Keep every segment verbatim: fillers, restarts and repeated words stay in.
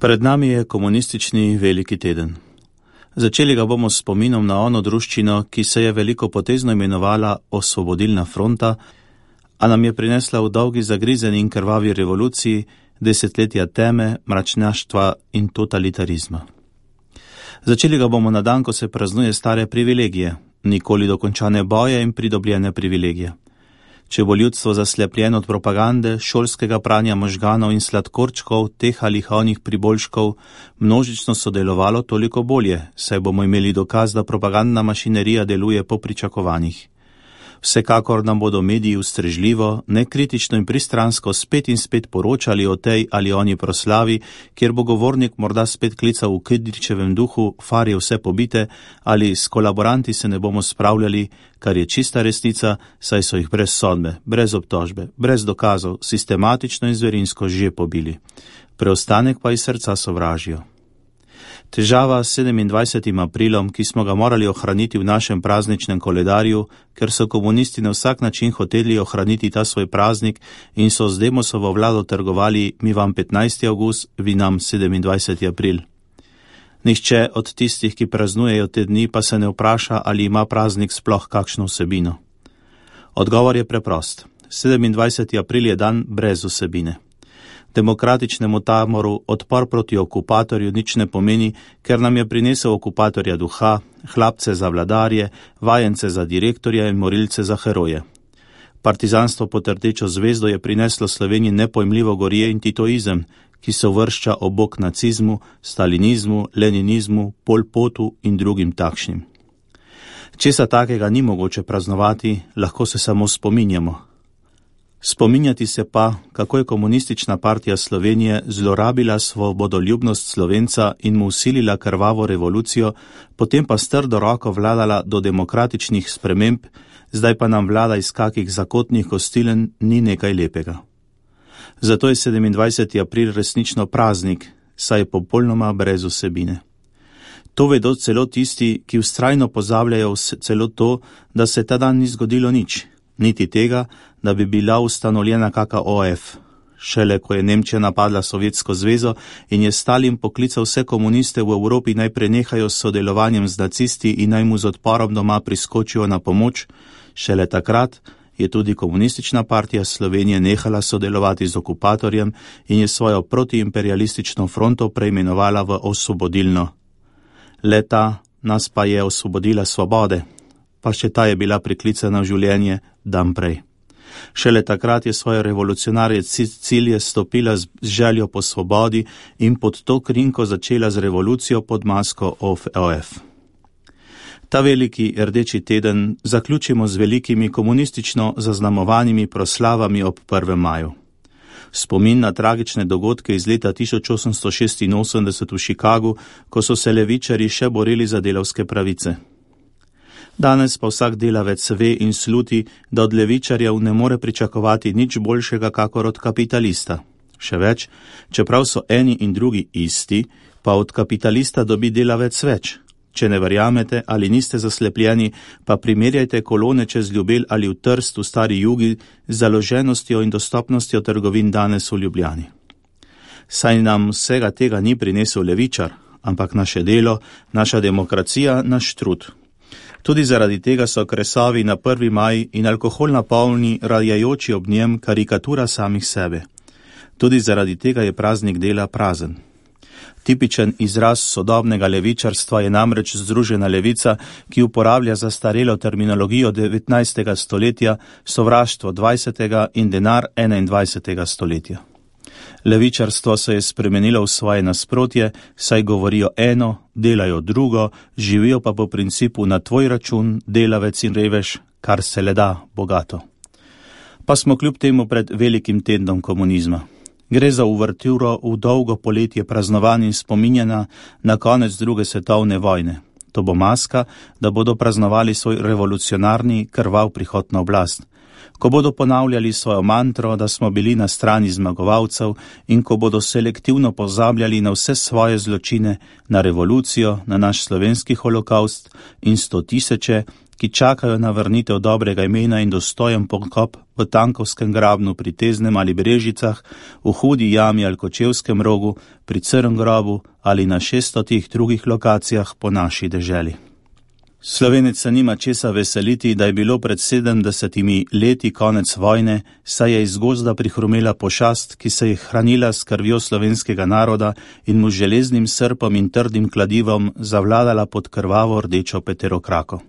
Pred nami je komunistični veliki teden. Začeli ga bomo s spominom na ono druščino, ki se je veliko potezno imenovala Osvobodilna fronta, a nam je prinesla v dolgi zagrizeni in krvavi revoluciji desetletja teme, mračnjaštva in totalitarizma. Začeli ga bomo na dan, ko se praznuje stare privilegije, nikoli dokončane boje in pridobljene privilegije. Če bo ljudstvo zaslepljeno od propagande, šolskega pranja možganov in sladkorčkov, teh ali onih priboljškov, množično sodelovalo, toliko bolje, saj bomo imeli dokaz, da propagandna mašinerija deluje po pričakovanjih. Vsekakor nam bodo mediji ustrežljivo, nekritično in pristransko spet in spet poročali o tej ali oni proslavi, kjer bo govornik morda spet klical v Kidričevem duhu, far je vse pobite, ali s kolaboranti se ne bomo spravljali, kar je čista resnica, saj so jih brez sodbe, brez obtožbe, brez dokazov, sistematično in zverinsko že pobili. Preostanek pa iz srca sovražijo. Težava s sedemindvajsetim aprilom, ki smo ga morali ohraniti v našem prazničnem koledarju, ker so komunisti na vsak način hoteli ohraniti ta svoj praznik in so z Demosovo vlado trgovali, mi vam petnajsti avgust, vi nam sedemindvajseti april. Nihče od tistih, ki praznujejo te dni, pa se ne vpraša, ali ima praznik sploh kakšno vsebino. Odgovor je preprost. sedemindvajseti april je dan brez vsebine. Demokratičnemu tamoru odpor proti okupatorju nič ne pomeni, ker nam je prinesel okupatorja duha, hlapce za vladarje, vajence za direktorje in morilce za heroje. Partizanstvo pod rdečo zvezdo je prineslo Sloveniji nepojmljivo gorje in titoizem, ki se uvršča ob bok nacizmu, stalinizmu, leninizmu, Pol Potu in drugim takšnim. Česa takega ni mogoče praznovati, lahko se samo spominjamo. Spominjati se pa, kako je komunistična partija Slovenije zlorabila svobodoljubnost Slovenca in mu usilila krvavo revolucijo, potem pa s trdo roko vladala do demokratičnih sprememb, zdaj pa nam vlada iz kakih zakotnih kostilen ni nekaj lepega. Zato je sedemindvajseti april resnično praznik, saj je popolnoma brez vsebine. To vedo celo tisti, ki vztrajno pozabljajo celo to, da se ta dan ni zgodilo nič, niti tega, da bi bila ustanovljena kaka O F. Šele ko je Nemčija napadla Sovjetsko zvezo in je Stalin poklical vse komuniste v Evropi naj prenehajo s sodelovanjem z nacisti in naj mu z odporom doma priskočijo na pomoč, šele takrat je tudi komunistična partija Slovenije nehala sodelovati z okupatorjem in je svojo protiimperialistično fronto preimenovala v Osvobodilno. Leta nas pa je osvobodila svobode, pa še ta je bila priklicana v življenje dan prej. Šele takrat je svoje revolucionarje cilje stopila z željo po svobodi in pod to krinko začela z revolucijo pod masko O F. Ta veliki rdeči teden zaključimo z velikimi komunistično zaznamovanimi proslavami ob prvem maju. Spomin na tragične dogodke iz leta tisoč osemsto šestinosemdeset v Chicagu, ko so se levičarji še borili za delavske pravice. Danes pa vsak delavec ve in sluti, da od levičarjev ne more pričakovati nič boljšega kakor od kapitalista. Še več, čeprav so eni in drugi isti, pa od kapitalista dobi delavec več. Če ne verjamete ali niste zaslepljeni, pa primerjajte kolone čez Ljubelj ali v Trst v stari Jugi z založenostjo in dostopnostjo trgovin danes v Ljubljani. Saj nam vsega tega ni prinesel levičar, ampak naše delo, naša demokracija, naš trud. Tudi zaradi tega so kresovi na prvi maj in alkohol napolni, rajajoči ob njem, karikatura samih sebe. Tudi zaradi tega je praznik dela prazen. Tipičen izraz sodobnega levičarstva je namreč združena levica, ki uporablja zastarelo terminologijo devetnajstega stoletja, sovraštvo dvajsetega in denar enaindvajsetega stoletja. Levičarstvo se je spremenilo v svoje nasprotje, saj govorijo eno, delajo drugo, živijo pa po principu na tvoj račun, delavec in revež, kar se le da, bogato. Pa smo kljub temu pred velikim tednom komunizma. Gre za uverturo v dolgo poletje praznovanj in spominjanja na konec druge svetovne vojne. To bo maska, da bodo praznovali svoj revolucionarni krvav prihod na oblast. ko bodo ponavljali svojo mantro, da smo bili na strani zmagovalcev in ko bodo selektivno pozabljali na vse svoje zločine, na revolucijo, na naš slovenski holokaust in sto tisoče, ki čakajo na vrnitev dobrega imena in dostojen pokop v Tankovskem grabnu pri Teznem ali Brežicah, v Hudi jami ali Kočevskem rogu, pri Crnem grobu ali na šeststotih drugih lokacijah po naši deželi. Slovenec se nima česa veseliti, da je bilo pred sedemdesetimi leti konec vojne, saj je iz gozda prihrumela pošast, ki se je hranila s krvjo slovenskega naroda in mu železnim srpom in trdim kladivom zavladala pod krvavo rdečo peterokrako.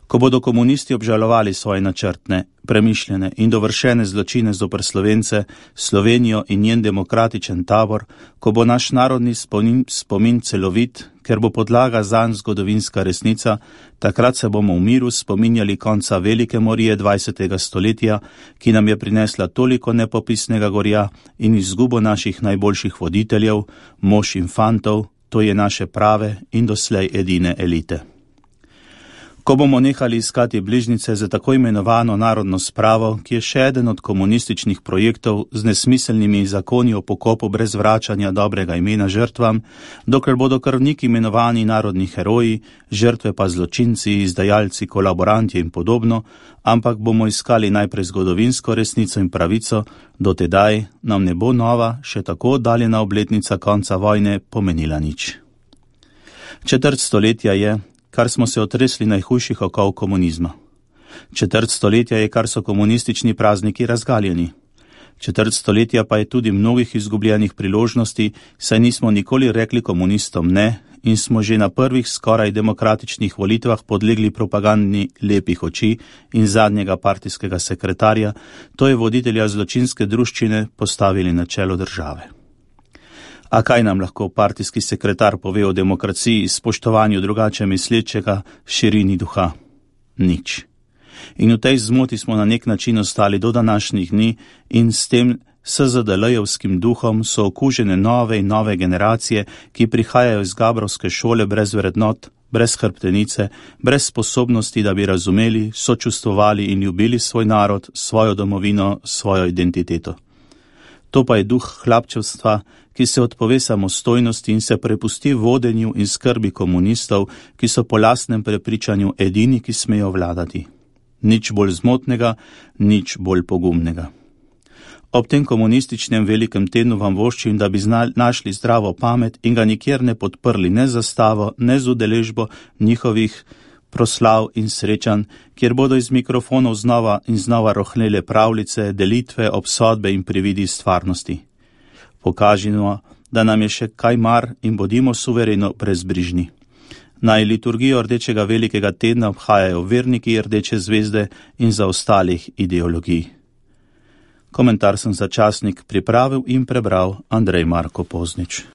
Ko bodo komunisti obžalovali svoje načrtne, premišljene in dovršene zločine zoper Slovence, Slovenijo in njen demokratičen tabor, ko bo naš narodni spomin, spomin celovit, ker bo podlaga zanj zgodovinska resnica, takrat se bomo v miru spominjali konca velike morije dvajsetega stoletja, ki nam je prinesla toliko nepopisnega gorja in izgubo naših najboljših voditeljev, mož in fantov, to je naše prave in doslej edine elite. Ko bomo nehali iskati bližnjice za tako imenovano narodno spravo, ki je še eden od komunističnih projektov z nesmiselnimi zakoni o pokopu brez vračanja dobrega imena žrtvam, dokler bodo krvniki imenovani narodni heroji, žrtve pa zločinci, izdajalci, kolaboranti in podobno, ampak bomo iskali najprej zgodovinsko resnico in pravico, dotedaj nam ne bo nova, še tako oddaljena obletnica konca vojne pomenila nič. Četrt stoletja je, kar smo se otresli najhujših okov komunizma. Četrt stoletja je, kar so komunistični prazniki razgaljeni. Četrt stoletja pa je tudi mnogih izgubljenih priložnosti, saj nismo nikoli rekli komunistom ne in smo že na prvih skoraj demokratičnih volitvah podlegli propagandni lepih oči in zadnjega partijskega sekretarja, to je voditelja zločinske druščine, postavili na čelo države. A kaj nam lahko partijski sekretar pove o demokraciji, spoštovanju drugače mislečega, širini duha? Nič. In v tej zmoti smo na nek način ostali do današnjih dni in s tem S Z D L-jevskim duhom so okužene nove in nove generacije, ki prihajajo iz gabrovske šole brez vrednot, brez hrbtenice, brez sposobnosti, da bi razumeli, sočustvovali in ljubili svoj narod, svojo domovino, svojo identiteto. To pa je duh hlapčevstva, ki se odpove samostojnosti in se prepusti vodenju in skrbi komunistov, ki so po lastnem prepričanju edini, ki smejo vladati. Nič bolj zmotnega, nič bolj pogumnega. Ob tem komunističnem velikem tednu vam voščim, da bi znali, našli zdravo pamet in ga nikjer ne podprli ne z zastavo, ne z udeležbo njihovih proslav in srečanj, kjer bodo iz mikrofonov znova in znova rohnele pravljice, delitve, obsodbe in prividi stvarnosti. Pokažimo, da nam je še kaj mar in bodimo suvereno brezbrižni. Naj liturgijo rdečega velikega tedna obhajajo verniki rdeče zvezde in za ostalih ideologij. Komentar sem za časnik pripravil in prebral Andrej Marko Poznič.